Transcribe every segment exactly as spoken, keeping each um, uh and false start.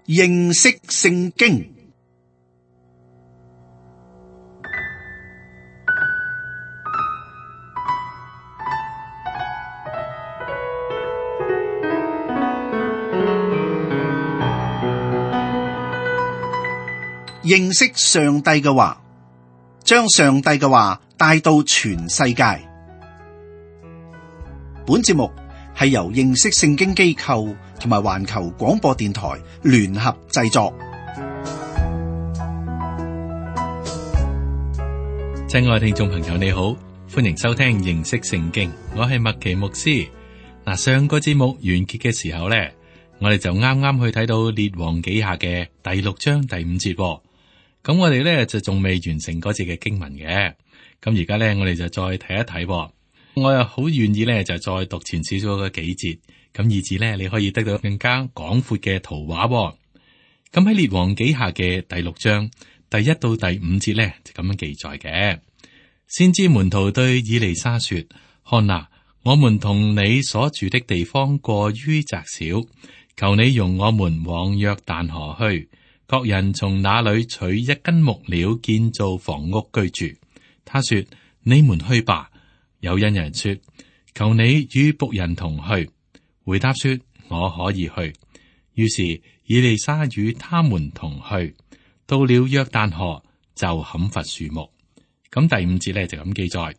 認識聖經。認識上帝嘅話，將上帝嘅話帶到全世界。本節目係由認識聖經機構同埋環球廣播電台聯合製作。親愛聽眾朋友，你好，歡迎收聽認識聖經，我係麥奇牧師。嗱，上個節目完結嘅時候呢，我哋就啱啱去睇到列王紀下嘅第六章第五節。咁我哋咧就仲未完成嗰節嘅經文嘅，咁而家咧我哋就再睇一睇，我又好願意咧就再讀前少少嘅幾節，咁以至咧你可以得到更加廣闊嘅圖畫。咁喺列王紀下嘅第六章第一到第五節咧就咁樣記載嘅。先知門徒對以利沙說：看哪，我們同你所住的地方過於窄小，求你容我們往約旦河去。各人從那裏取一根木料建造房屋居住。他說：你們去吧。有一人說：求你與僕人同去。回答說：我可以去。於是以利沙與他們同去，到了約旦河就砍伐樹木。咁第五節咧就咁記載：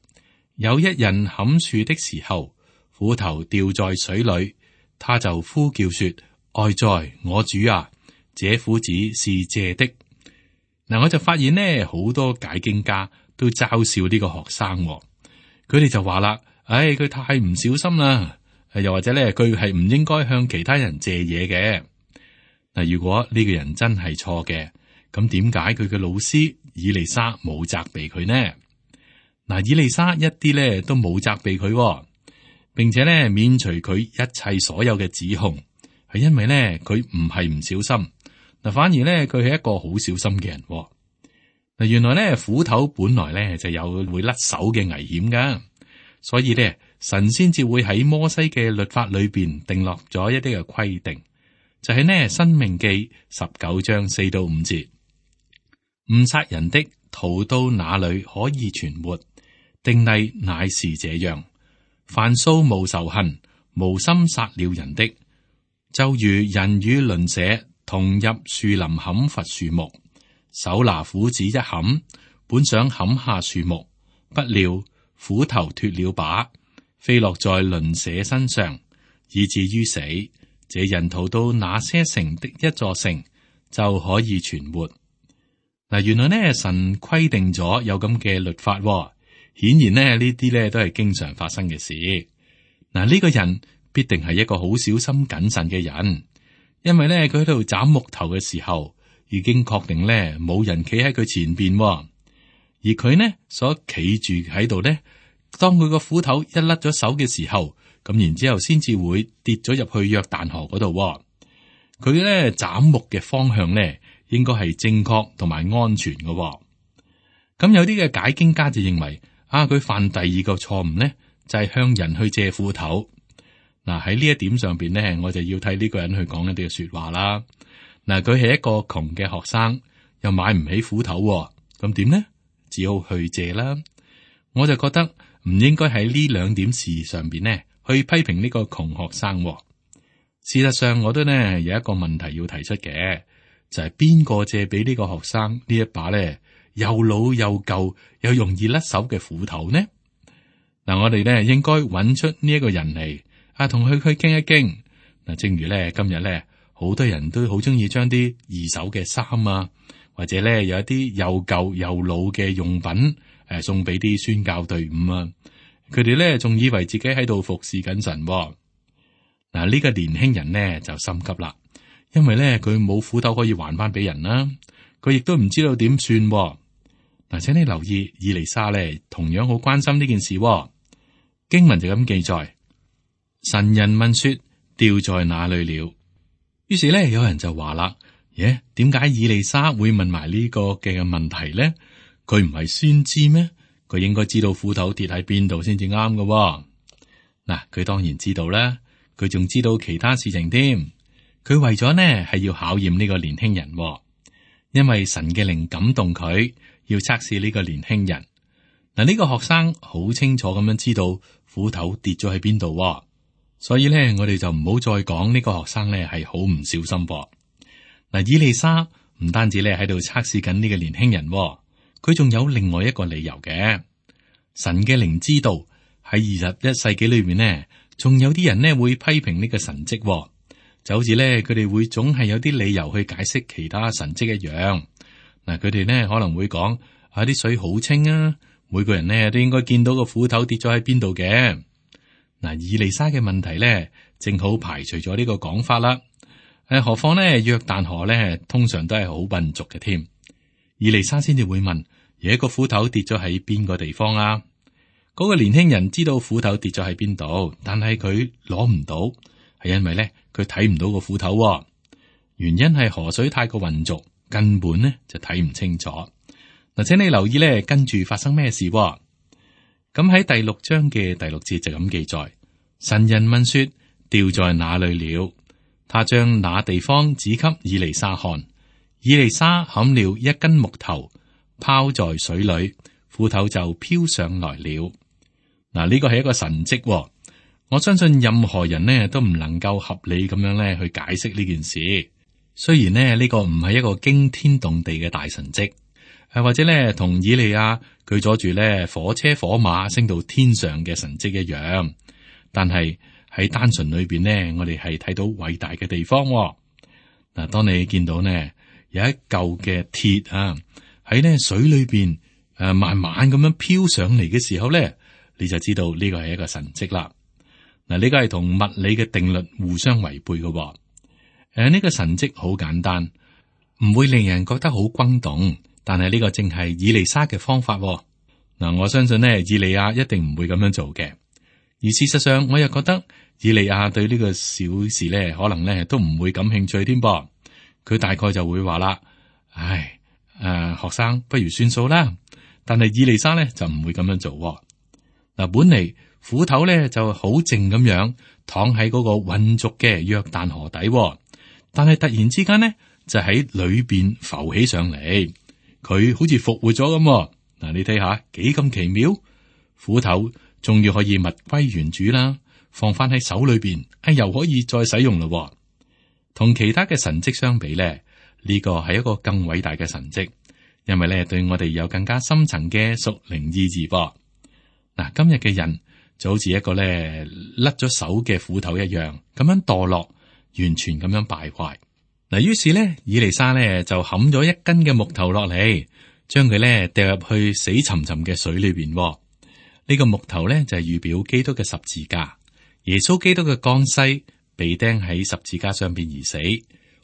有一人砍樹的時候，斧頭掉在水裏，他就呼叫說：哀哉，我主啊！這斧子是借的。嗱，我就發現呢，好多解經家都嘲笑呢個學生，佢哋就話啦：唉、哎，佢太唔小心啦，又或者咧，佢係唔應該向其他人借嘢嘅。嗱，如果呢個人真係錯嘅，咁點解佢嘅老師以利沙冇責備佢呢？嗱，以利沙一啲咧都冇責備佢，並且咧免除佢一切所有嘅指控，係因為咧佢唔係唔小心。嗱，反而咧，佢係一個好小心嘅人。嗱，原來咧，斧頭本來咧就有會甩手嘅危險噶，所以咧，神先至會喺摩西嘅律法裏邊定落咗一啲嘅規定，就係呢《申命記》十九章四到五節，誤殺人的逃到哪裏可以存活？定例乃是這樣：凡素無仇恨、無心殺了人的，就如人與鄰舍同入樹林砍伐樹木，手拿斧子一砍，本想砍下樹木，不料斧頭脫了把，飛落在鄰舍身上，以至於死。這人逃到那些城的一座城，就可以存活。嗱，原來呢，神規定咗有咁嘅律法，顯然呢呢啲呢都係經常發生嘅事。嗱，呢個人必定係一個好小心謹慎嘅人。因為咧，佢喺度斬木頭嘅時候，已經確定咧冇人企喺佢前邊，而佢呢所企住喺度咧，當佢個斧頭一甩咗手嘅時候，咁然之後先至會跌咗入去約旦河嗰度。佢咧斬木嘅方向咧，應該係正確同埋安全嘅。咁有啲嘅解經家就認為，啊，佢犯第二個錯誤咧，就係向人去借斧頭。嗱，喺呢一點上邊咧，我就要睇呢個人去講一啲嘅說話啦。嗱，佢係一個窮嘅學生，又買唔起斧頭，咁點呢？只好去借啦。我就覺得唔應該喺呢兩點事上邊呢去批評呢個窮學生。事實上，我都呢有一個問題要提出嘅，就係邊個借俾呢個學生呢一把咧又老又舊又容易甩手嘅斧頭呢？嗱，我哋呢應該揾出呢一個人嚟。啊，同佢去傾一傾嗱，正如咧今日咧，好多人都好中意將啲二手嘅衫啊，或者咧有一啲又舊又老嘅用品誒、呃，送俾啲宣教隊伍啊。佢哋咧仲以為自己喺度服侍緊神。嗱，呢個年輕人呢就心急啦，因為咧佢冇斧頭可以還翻俾人啦，佢亦都唔知道點算。嗱，請你留意以利沙咧，同樣好關心呢件事。經文就咁記載。神人問說：掉在哪裏了？於是咧，有人就話啦：耶，點解以利沙會問埋呢個嘅問題咧？佢唔係先知咩？佢應該知道斧頭跌喺邊度先至啱嘅。嗱，佢當然知道啦，佢仲知道其他事情添。佢為咗呢係要考驗呢個年輕人，因為神嘅靈感動佢，要測試呢個年輕人。嗱，呢個學生好清楚咁樣知道斧頭跌咗喺邊度，所以咧我哋就唔好再講呢個學生咧係好唔小心噃。嗱，以利沙唔單止咧喺度測試緊呢個年輕人，佢仲有另外一個理由嘅。神嘅靈知道喺二十一世紀裏面呢，仲有啲人呢會批評呢個神蹟，就好似咧佢哋會總係有啲理由去解釋其他神蹟一樣。嗱，佢哋呢可能會講啊，啲水好清啊，每個人呢都應該見到個斧頭跌咗喺邊度嘅。嗱，以利沙嘅問題咧，正好排除咗呢個講法啦。誒，何況咧約旦河咧，通常都係好笨拙嘅添。以利沙先至會問：有一個斧頭跌咗喺邊個地方啊？嗰個年輕人知道斧頭跌咗喺邊度，但係佢攞唔到，係因為咧佢睇唔到個斧頭。原因係河水太過渾濁，根本咧就睇唔清楚。嗱，請你留意咧，跟住發生咩事？咁喺第六章嘅第六節就咁記載：神人問說，掉在哪裏了？他將那地方指給以利沙看。以利沙砍了一根木頭，拋在水裏，斧頭就飄上來了。嗱，呢個係一個神蹟。我相信任何人呢都唔能夠合理咁樣咧去解釋呢件事。雖然呢呢個唔係一個驚天動地嘅大神蹟，誒或者咧同以利亞佢阻住咧火車火馬升到天上嘅神蹟一樣，但係喺單純裏邊呢，我哋係睇到偉大嘅地方。嗱，當你見到呢有一嚿嘅鐵啊喺呢水裏邊誒慢慢咁樣飄上嚟嘅時候咧，你就知道呢個係一個神蹟啦。嗱，呢個係同物理嘅定律互相違背嘅。誒，呢個神蹟好簡單，唔會令人覺得好轟動，但係呢個正係以利沙嘅方法。嗱，我相信呢，以利亞一定唔會咁樣做嘅。而事實上，我又覺得以利亞對呢個小事咧，可能咧都唔會感興趣添噃。佢大概就會話啦：唉，誒、呃，學生不如算數啦。但係以利沙咧就唔會咁樣做。嗱，本嚟斧頭咧就好靜咁樣躺喺嗰個渾濁嘅約旦河底，但係突然之間呢，就喺裏邊浮起上嚟，佢好似復活咗咁。嗱，你睇下幾咁奇妙，斧頭終於可以物歸原主啦，放翻喺手裏邊，啊，又可以再使用咯。同其他嘅神蹟相比咧，呢個係一個更偉大嘅神蹟，因為咧對我哋有更加深層嘅屬靈意義噃。嗱，今日嘅人就好似一個咧甩咗手嘅斧頭一樣，咁樣墮落，完全咁樣敗壞。嗱，於是咧，以利沙咧就砍咗一根嘅木頭落嚟，將佢咧掉入去死沉沉嘅水裏邊。呢個木頭咧就係預表基督嘅十字架，耶穌基督嘅降世，被釘喺十字架上邊而死，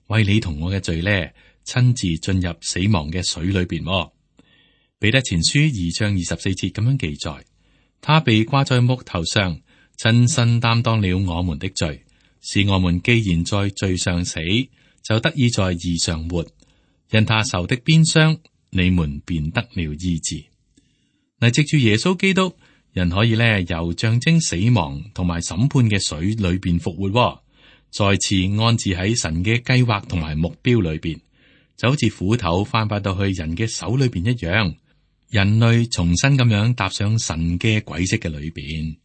為你同我嘅罪咧，親自進入死亡嘅水裏邊。彼得前書二章二十四節咁樣記載。他被掛在木頭上，親身擔當了我們的罪，使我們既然在罪上死，就得以在義上活。因他受的鞭傷，你們便得了醫治。嗱，藉住耶穌基督，人可以咧由象徵死亡同埋審判嘅水裏邊復活，再次安置喺神嘅計劃同埋目標裏邊，就好似斧頭翻返到去人嘅手裏邊一樣。人類重新咁樣踏上神嘅軌跡嘅裏邊，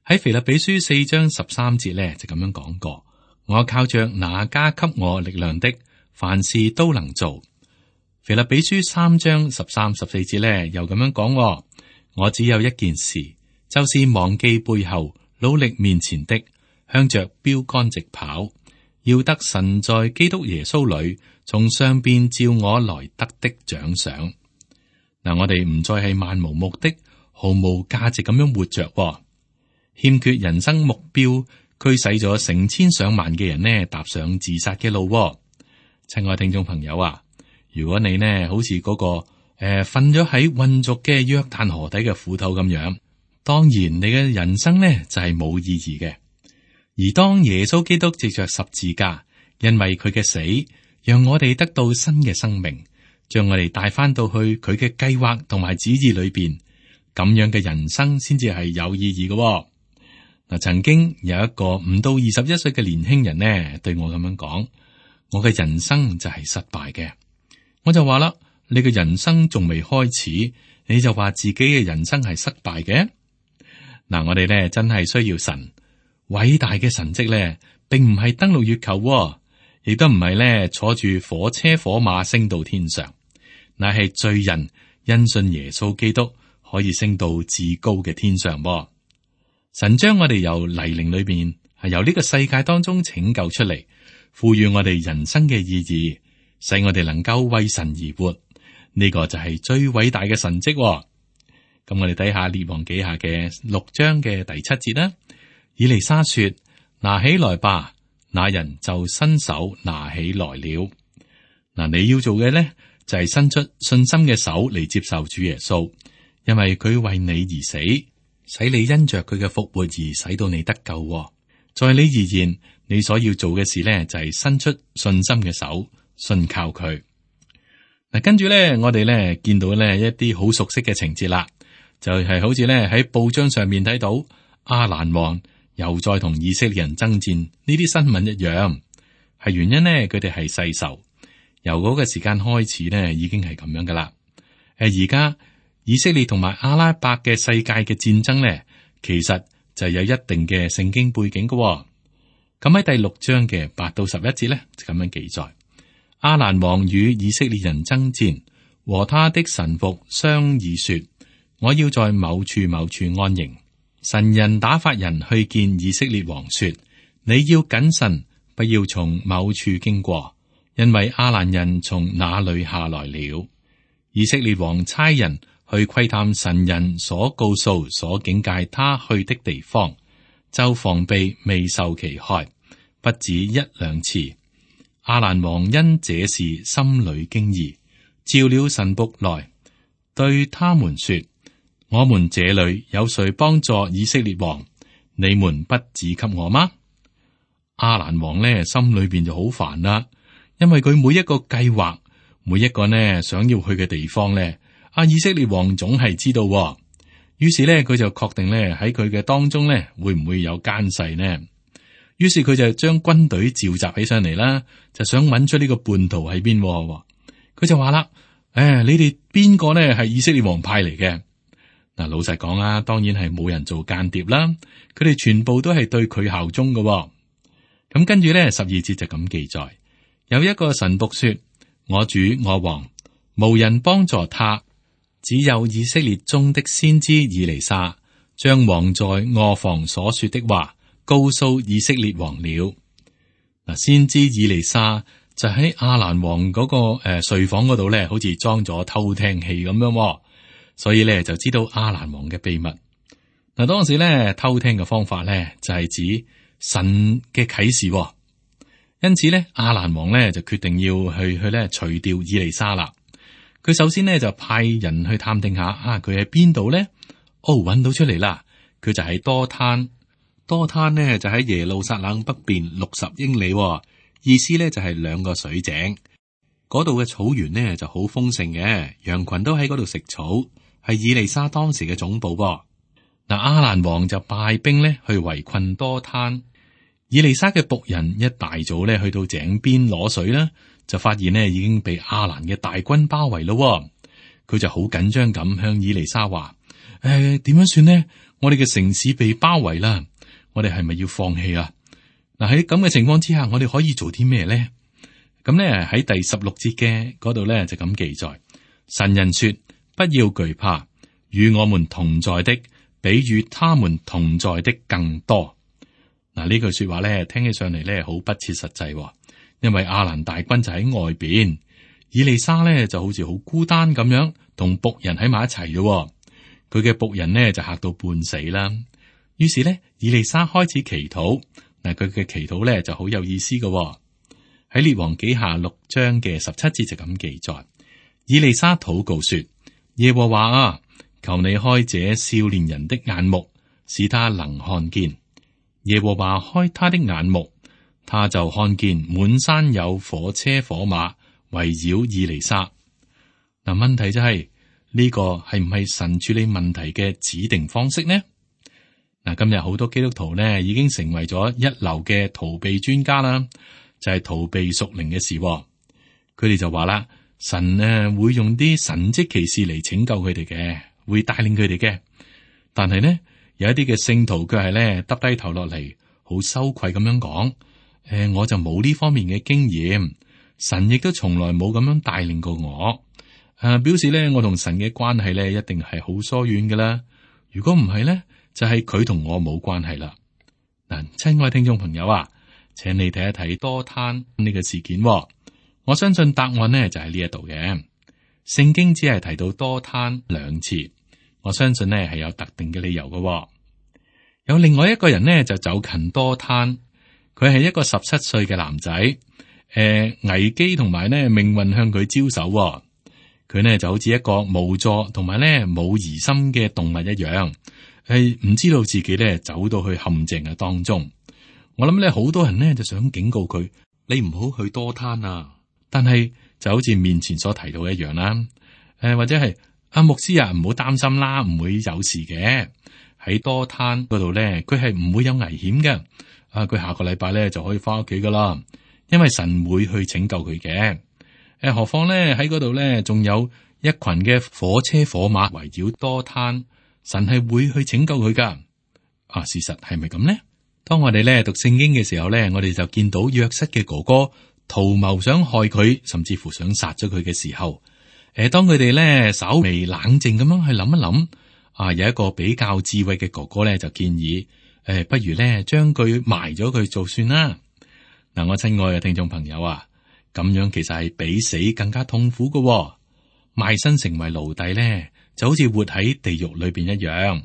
喺腓立比書四章十三節咧就咁樣講過：我靠着那加給我力量的，凡事都能做。腓立比書三章十三十四節咧又咁樣講：我只有一件事，就是忘記背後，努力面前的，向着標竿直跑，要得神在基督耶穌裏從上邊召我來得的獎賞。嗱，我哋唔再係漫無目的、毫無價值咁樣活着，欠缺人生目標，驅使咗成千上萬嘅人呢踏上自殺嘅路。親愛聽眾朋友啊，如果你呢好似嗰、那個誒瞓咗喺渾濁嘅約旦河底嘅斧頭咁樣，當然你嘅人生呢就係、是、冇意義嘅。而當耶穌基督藉着十字架，因為佢嘅死，讓我哋得到新嘅生命。將我哋帶翻到去佢嘅計劃同埋旨意裏邊，咁樣嘅人生先至係有意義嘅。嗱，曾經有一個唔到二十一歲嘅年輕人呢，對我咁樣講：我嘅人生就係失敗嘅。我就話啦，你嘅人生仲未開始，你就話自己嘅人生係失敗嘅？嗱，我哋咧真係需要神偉大嘅神蹟咧，並唔係登陸月球，亦都唔係咧坐住火車火馬升到天上，乃係罪人因信耶穌基督可以升到至高嘅天上噃。神將我哋由泥濘裏邊，係由呢個世界當中拯救出嚟，賦予我哋人生嘅意義，使我哋能夠為神而活。呢、這個就係最偉大嘅神蹟。咁我哋睇下列王紀下嘅六章嘅第七節啦。以利沙說：拿起來吧，那人就伸手拿起來了。嗱，你要做嘅咧就係、是、伸出信心嘅手嚟接受主耶穌，因為佢為你而死，使你因着佢嘅復活而使到你得救。在你而言，你所要做嘅事咧就係、是、伸出信心嘅手，信靠佢。嗱，跟住咧，我哋咧見到咧一啲好熟悉嘅情節啦。就係好似咧喺報章上面睇到亞蘭王又再同以色列人爭戰呢啲新聞一樣，係原因呢，佢哋係世仇，由嗰個時間開始呢，已經係咁樣噶啦。誒，而家以色列同埋阿拉伯嘅世界嘅戰爭呢，其實就有一定嘅聖經背景噶。咁喺第六章嘅八到十一節呢，就咁樣記載：亞蘭王與以色列人爭戰，和他的臣僕商議說，我要在某處某處安營。神人打發人去見以色列王說：你要謹慎，不要從某處經過，因為亞蘭人從那裏下來了。以色列王差人去窺探神人所告訴、所警戒他去的地方，就防備未受其害，不止一兩次。亞蘭王因這事心裏驚異，召了臣僕來，對他們說：我們這裏有誰幫助以色列王？你們不指給我嗎？亞蘭王呢，心裏邊就好煩啦，因為佢每一個計劃，每一個呢想要去嘅地方呢，阿以色列王總係知道。於是呢，佢就確定呢喺佢嘅當中呢，會唔會有奸細呢？於是佢就將軍隊召集起上嚟啦，就想揾出呢個叛徒喺邊。佢就話啦：誒，你哋邊個呢係以色列王派嚟嘅？嗱，老實講啊，當然係冇人做間諜啦。佢哋全部都係對佢效忠嘅。咁跟住咧，十二節就咁記載：有一個臣僕說，我主我王無人幫助他，只有以色列中的先知以利沙將王在臥房所說的話告訴以色列王了。嗱，先知以利沙就喺亞蘭王嗰、那個誒、呃、睡房嗰度咧，好似裝咗偷聽器咁樣。所以咧就知道亞蘭王嘅秘密。嗱，當時咧偷聽嘅方法咧就係指神嘅啟示，因此咧亞蘭王咧就決定要去去咧除掉以利沙啦。佢首先咧就派人去探聽下啊，佢喺邊度咧？哦，揾到出嚟啦，佢就喺多灘。多灘呢就喺耶路撒冷北邊六十英里，意思咧就係兩個水井。嗰度嘅草原呢就好豐盛嘅，羊群都喺嗰度食草。係以利沙當時嘅總部噃。嗱，亞蘭王就派兵咧去圍困多灘。以利沙嘅僕人一大早咧去到井邊攞水啦，就發現呢已經被亞蘭嘅大軍包圍咯。佢就好緊張咁向以利沙話：誒、呃，點樣算呢？我哋嘅城市被包圍啦，我哋係咪要放棄啊？嗱，喺咁嘅情況之下，我哋可以做啲咩咧？咁咧喺第十六節嘅嗰度咧就咁記載：神人說，不要懼怕，與我們同在的比與他們同在的更多。嗱，呢句說話咧，聽起上嚟咧好不切實際，因為亞蘭大軍就喺外邊，以利沙咧就好似好孤單咁樣，同僕人喺埋一齊嘅。佢嘅僕人呢就嚇到半死啦。於是咧，以利沙開始祈禱。嗱，佢嘅祈禱咧就好有意思嘅。喺列王紀下六章嘅十七節就咁記載：以利沙禱告說。耶和華啊，求你開這少年人的眼目，使他能看見。耶和華開他的眼目，他就看見滿山有火車火馬圍繞以利沙。嗱，問題就係、是、呢、這個係唔係神處理問題嘅指定方式呢？嗱，今日好多基督徒呢已經成為咗一流嘅逃避專家啦，就係逃避屬靈嘅事。佢哋就話啦，神呢會用啲神蹟奇事嚟拯救佢哋嘅，會帶領佢哋嘅。但係呢，有一啲嘅聖徒卻係咧耷低頭落嚟，好羞愧咁樣講：誒，我就冇呢方面嘅經驗，神亦都從來冇咁樣帶領過我。誒，表示咧我同神嘅關係咧一定係好疏遠噶啦。如果唔係咧，就係佢同我冇關係啦。嗱，親愛聽眾朋友啊，請你睇一睇多攤呢個事件。我相信答案呢就喺呢一度嘅。聖經只係提到多攤兩次，我相信呢係有特定嘅理由嘅。有另外一個人呢就走近多攤，佢係一個十七歲嘅男仔。誒、呃，危機同埋呢命運向佢招手，佢呢就好似一個無助同埋呢冇疑心嘅動物一樣，係唔知道自己呢走到去陷阱嘅當中。我諗呢好多人呢就想警告佢，你唔好去多攤啊！但係就好似面前所提到一樣啦，誒、呃、或者係阿牧師啊，唔好擔心啦，唔會有事嘅。喺多攤嗰度咧，佢係唔會有危險嘅。啊，佢下個禮拜咧就可以翻屋企噶啦，因為神會去拯救佢嘅。誒、呃，何況咧喺嗰度咧，仲有一群嘅火車火馬圍繞多攤，神係會去拯救佢噶。啊，事實係咪咁呢？當我哋咧讀聖經嘅時候咧，我哋就見到約瑟嘅哥哥圖謀想害佢，甚至乎想殺咗佢嘅時候，誒，當佢哋咧稍微冷靜咁樣去諗一諗，啊，有一個比較智慧嘅哥哥咧就建議，誒，不如咧將佢埋咗佢做算啦。嗱，我親愛嘅聽眾朋友啊，咁樣其實係比死更加痛苦噶，賣身成為奴隸咧，就好似活喺地獄裏邊一樣。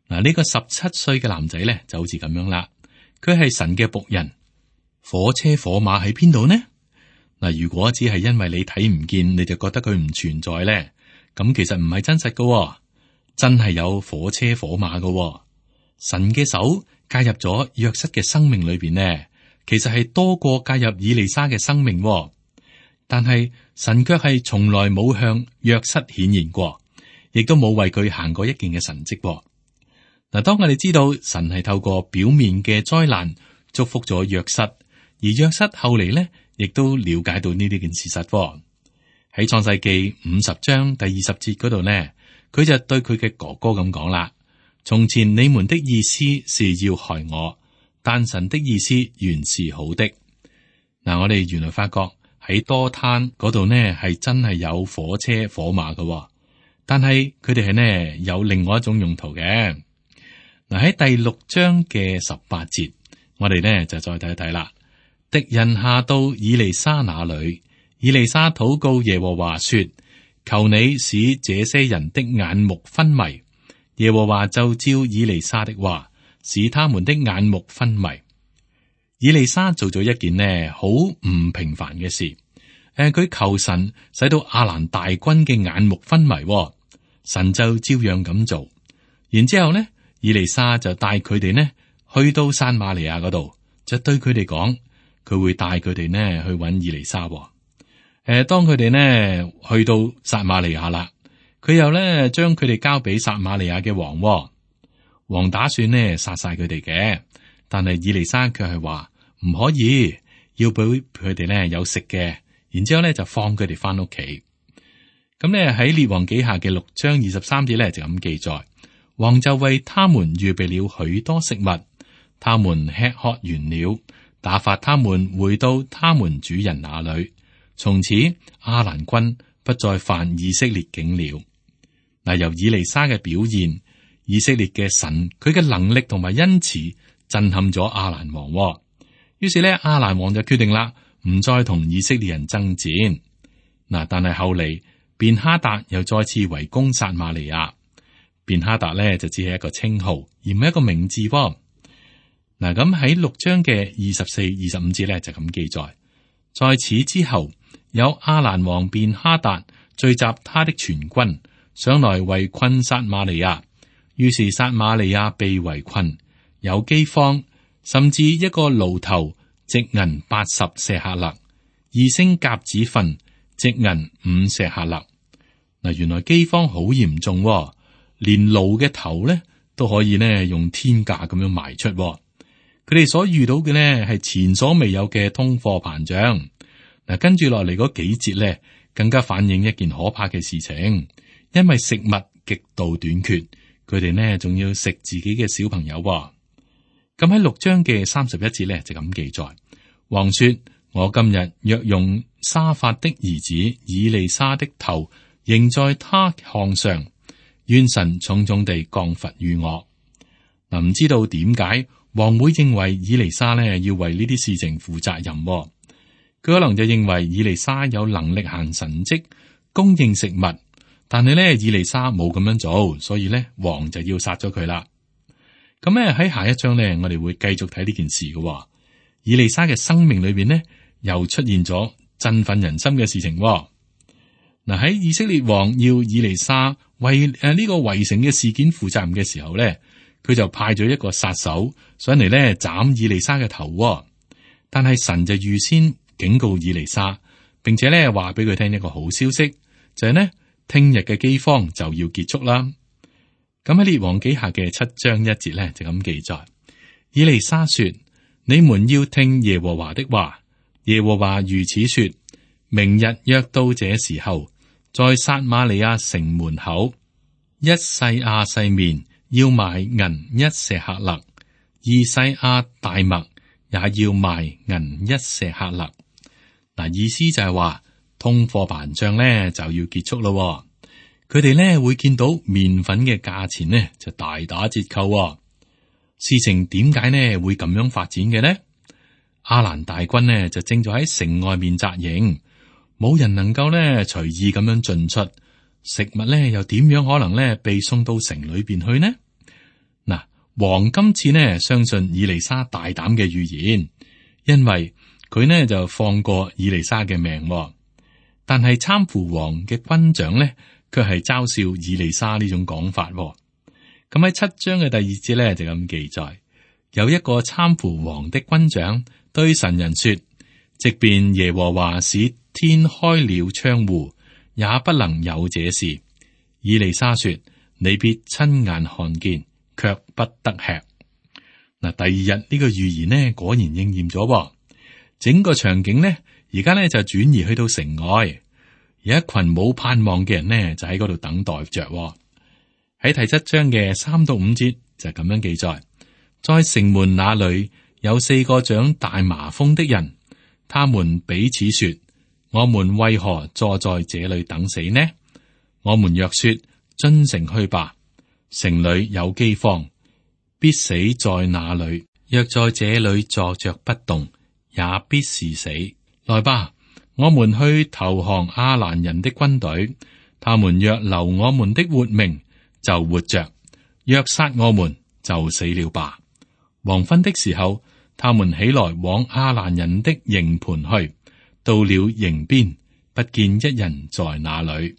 嗱，呢個十七歲嘅男仔咧就好似咁樣啦，佢係神嘅僕人。火車火馬喺邊度呢？嗱，如果只係因為你睇唔見，你就覺得佢唔存在咧，咁其實唔係真實噶，真係有火車火馬噶。神嘅手介入咗約瑟嘅生命裏邊呢，其實係多過介入以利沙嘅生命。但係神卻係從來冇向約瑟顯現過，亦都冇為佢行過一件嘅神蹟。嗱，當我哋知道神係透過表面嘅災難祝福咗約瑟。而約瑟後嚟呢，亦都了解到呢啲件事實。喺創世記五十章第二十節嗰度呢，佢就對佢嘅哥哥咁講啦：從前你們的意思是要害我，但神的意思原是好的。嗱，我哋原來發覺喺多攤嗰度呢，係真係有火車火馬嘅，但係佢哋係呢有另外一種用途嘅。嗱，喺第六章嘅十八節，我哋呢就再睇一睇啦。敵人下到以利沙那裏，以利沙禱告耶和華說：求你使這些人的眼目昏迷。耶和華就照以利沙的話，使他們的眼目昏迷。以利沙做咗一件呢好唔平凡嘅事，誒、呃，佢求神使到亞蘭大軍嘅眼目昏迷，神就照樣咁做。然之後呢，以利沙就帶佢哋呢去到撒瑪利亞嗰度，就對佢哋講。佢會帶佢哋呢去揾以利沙。誒、呃，當佢哋呢去到撒瑪利亞啦，佢又呢將佢哋交俾撒瑪利亞嘅王。王打算呢殺晒佢哋嘅，但係以利沙卻係話唔可以，要俾佢哋呢有食嘅。然之後呢就放佢哋翻屋企。咁呢喺列王紀下嘅六章二十三節呢就咁記載，王就為他們預備了許多食物，他們吃喝完了。打發他們回到他們主人那裏，從此亞蘭軍不再犯以色列境了。嗱，由以利沙嘅表現，以色列嘅神佢嘅能力同埋恩慈震撼咗亞蘭王。於是咧，亞蘭王就決定啦，唔再同以色列人爭戰。嗱，但係後嚟便哈達又再次圍攻撒瑪利亞。便哈達咧就只係一個稱號，而唔係一個名字。嗱，咁喺六章嘅二十四、二十五節咧就咁記載，在此之後，有亞蘭王便哈達聚集他的全軍上來圍困撒瑪利亞，於是撒瑪利亞被圍困，有饑荒，甚至一個驢頭值銀八十舍客勒，二升鴿子糞值銀五舍客勒。嗱，原來饑荒好嚴重，連驢嘅頭咧都可以呢用天價咁樣賣出。佢哋所遇到嘅呢係前所未有嘅通貨膨脹。嗱，跟住落嚟嗰幾節呢，更加反映一件可怕嘅事情，因為食物極度短缺，佢哋呢仲要食自己嘅小朋友。咁喺六章嘅三十一節呢，就咁記載，王說：我今日若用沙法的兒子以利沙的頭仍在他項上，願神重重地降罰於我。嗱，唔知道點解王會認為以利沙呢要為呢啲事情負責任？佢可能就認為以利沙有能力行神蹟供應食物，但係呢，以利沙冇咁樣做，所以呢，王就要殺咗佢啦。咁咧喺下一章呢，我哋會繼續睇呢件事嘅。以利沙嘅生命裏邊呢，又出現咗振奮人心嘅事情。嗱，喺以色列王要以利沙為誒呢個圍城嘅事件負責任嘅時候呢，佢就派咗一個殺手上嚟呢斬以利沙嘅頭。但係神就預先警告以利沙，並且呢話俾佢聽一個好消息，就係呢聽日嘅饑荒就要結束啦。咁喺列王紀下嘅七章一節咧就咁記載，以利沙說：你們要聽耶和華的話，耶和華如此說：明日約到這時候，在撒瑪利亞城門口，一細亞細麵要賣銀一舍客勒，二細亞大麥也要賣銀一舍客勒。嗱，意思就係話通貨膨脹咧就要結束咯。佢哋咧會見到麵粉嘅價錢呢就大打折扣。事情點解呢會咁樣發展嘅呢？亞蘭大軍呢就正在喺城外面紮營，冇人能夠呢隨意咁樣進出，食物呢又點樣可能呢被送到城裏邊去呢？嗱，王今次呢相信以利沙大膽嘅預言，因為佢呢就放過以利沙嘅命，但係參扶王嘅軍長呢，卻係嘲笑以利沙呢種講法。咁喺七章嘅第二節咧就咁記載，有一個參扶王的軍長對神人說：即便耶和華使天開了窗戶，也不能有這事。以利沙說：你必親眼看見，卻不得吃。嗱，第二日呢個預言呢果然應驗咗，整個場景呢而家呢就轉移去到城外。有一群冇盼望嘅人呢，就喺嗰度等待着。喺第七章嘅三到五節就咁樣記載，在城門那裏有四個長大麻風的人，他們彼此說：我們為何坐在這裏等死呢？我們若說進城去吧，城裏有饑荒，必死在那裏；若在這裏坐着不動，也必是死。來吧，我們去投降亞蘭人的軍隊，他們若留我們的活命，就活着；若殺我們，就死了吧。黃昏的時候，他們起來往亞蘭人的營盤去，到了營邊，不見一人在那裏。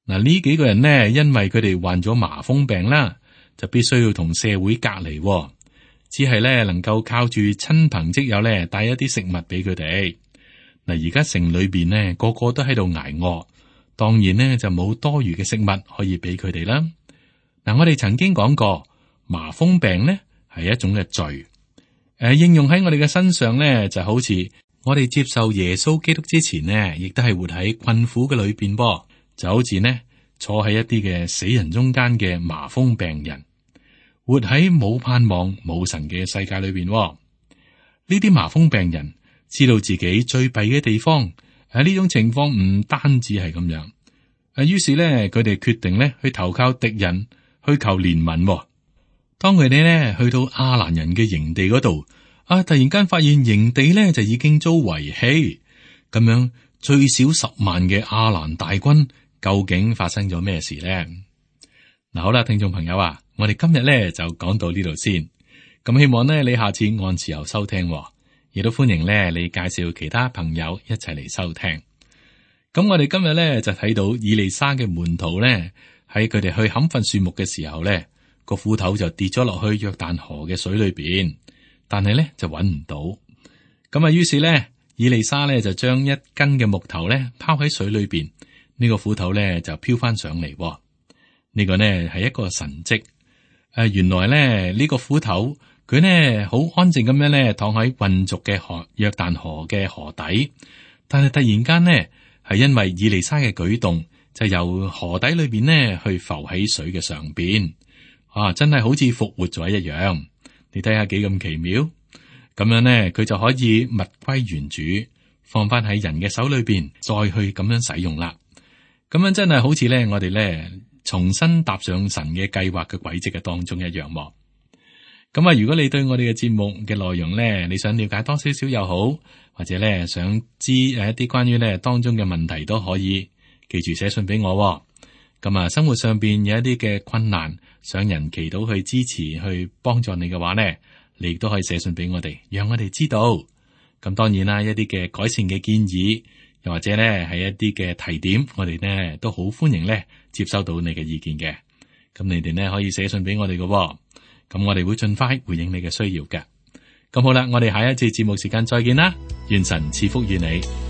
嗱，呢幾個人呢，因為佢哋患咗麻風病啦，就必須要同社會隔離，只係咧能夠靠住親朋戚友咧帶一啲食物俾佢哋。嗱，而家城裏邊呢，個個都喺度挨餓，當然呢就冇多餘嘅食物可以俾佢哋啦。嗱，我哋曾經講過，麻風病呢係一種嘅罪，誒、呃，應用喺我哋嘅身上呢，就好似我哋接受耶穌基督之前呢，亦都係活喺困苦嘅裏邊噃，就好似呢坐喺一啲嘅死人中間嘅麻風病人，活喺冇盼望、冇神嘅世界裏邊。呢啲麻風病人知道自己最弊嘅地方，喺呢種情況唔單止係咁樣，誒，於是咧佢哋決定咧去投靠敵人，去求憐憫。當佢哋咧去到亞蘭人嘅營地嗰度，啊，突然間發現營地咧就已經遭遺棄，咁樣最少十萬嘅亞蘭大軍，究竟發生咗咩事咧？嗱，好啦，聽眾朋友啊，我哋今日咧就講到呢度先，咁希望咧你下次按時候收聽。亦都歡迎咧，你介紹其他朋友一齊嚟收聽。咁我哋今日咧就睇到以利沙嘅門徒咧，喺佢哋去砍伐樹木嘅時候咧，個斧頭就跌咗落去約旦河嘅水裏邊，但係咧就揾唔到。咁啊，於是咧以利沙咧就將一根嘅木頭咧拋喺水裏邊，呢、這個斧頭咧就飄翻上嚟。呢、這個呢係一個神蹟。誒，原來咧呢個斧頭佢呢好安靜咁樣咧躺喺渾濁嘅河約旦河嘅河底，但係突然間呢係因為以利沙嘅舉動，就由河底裏邊呢去浮喺水嘅上邊，啊，真係好似復活咗一樣。你睇下幾咁奇妙，咁樣呢佢就可以物歸原主，放翻喺人嘅手裏邊，再去咁樣使用啦。咁樣真係好似咧我哋咧重新踏上神嘅計劃嘅軌跡嘅當中一樣。咁啊，如果你對我哋嘅節目嘅內容咧，你想了解多少少又好，或者咧想知誒一啲關於咧當中嘅問題都可以，記住寫信俾我。咁啊，生活上邊有一啲嘅困難，想人祈禱去支持、去幫助你嘅話咧，你亦都可以寫信俾我哋，讓我哋知道。咁當然啦，一啲嘅改善嘅建議，又或者咧係一啲嘅提點，我哋呢都好歡迎咧接收到你嘅意見嘅。咁你哋呢可以寫信俾我哋嘅。咁我哋會盡快回應你嘅需要嘅。咁好啦，我哋下一次節目時間再見啦，願神賜福於你。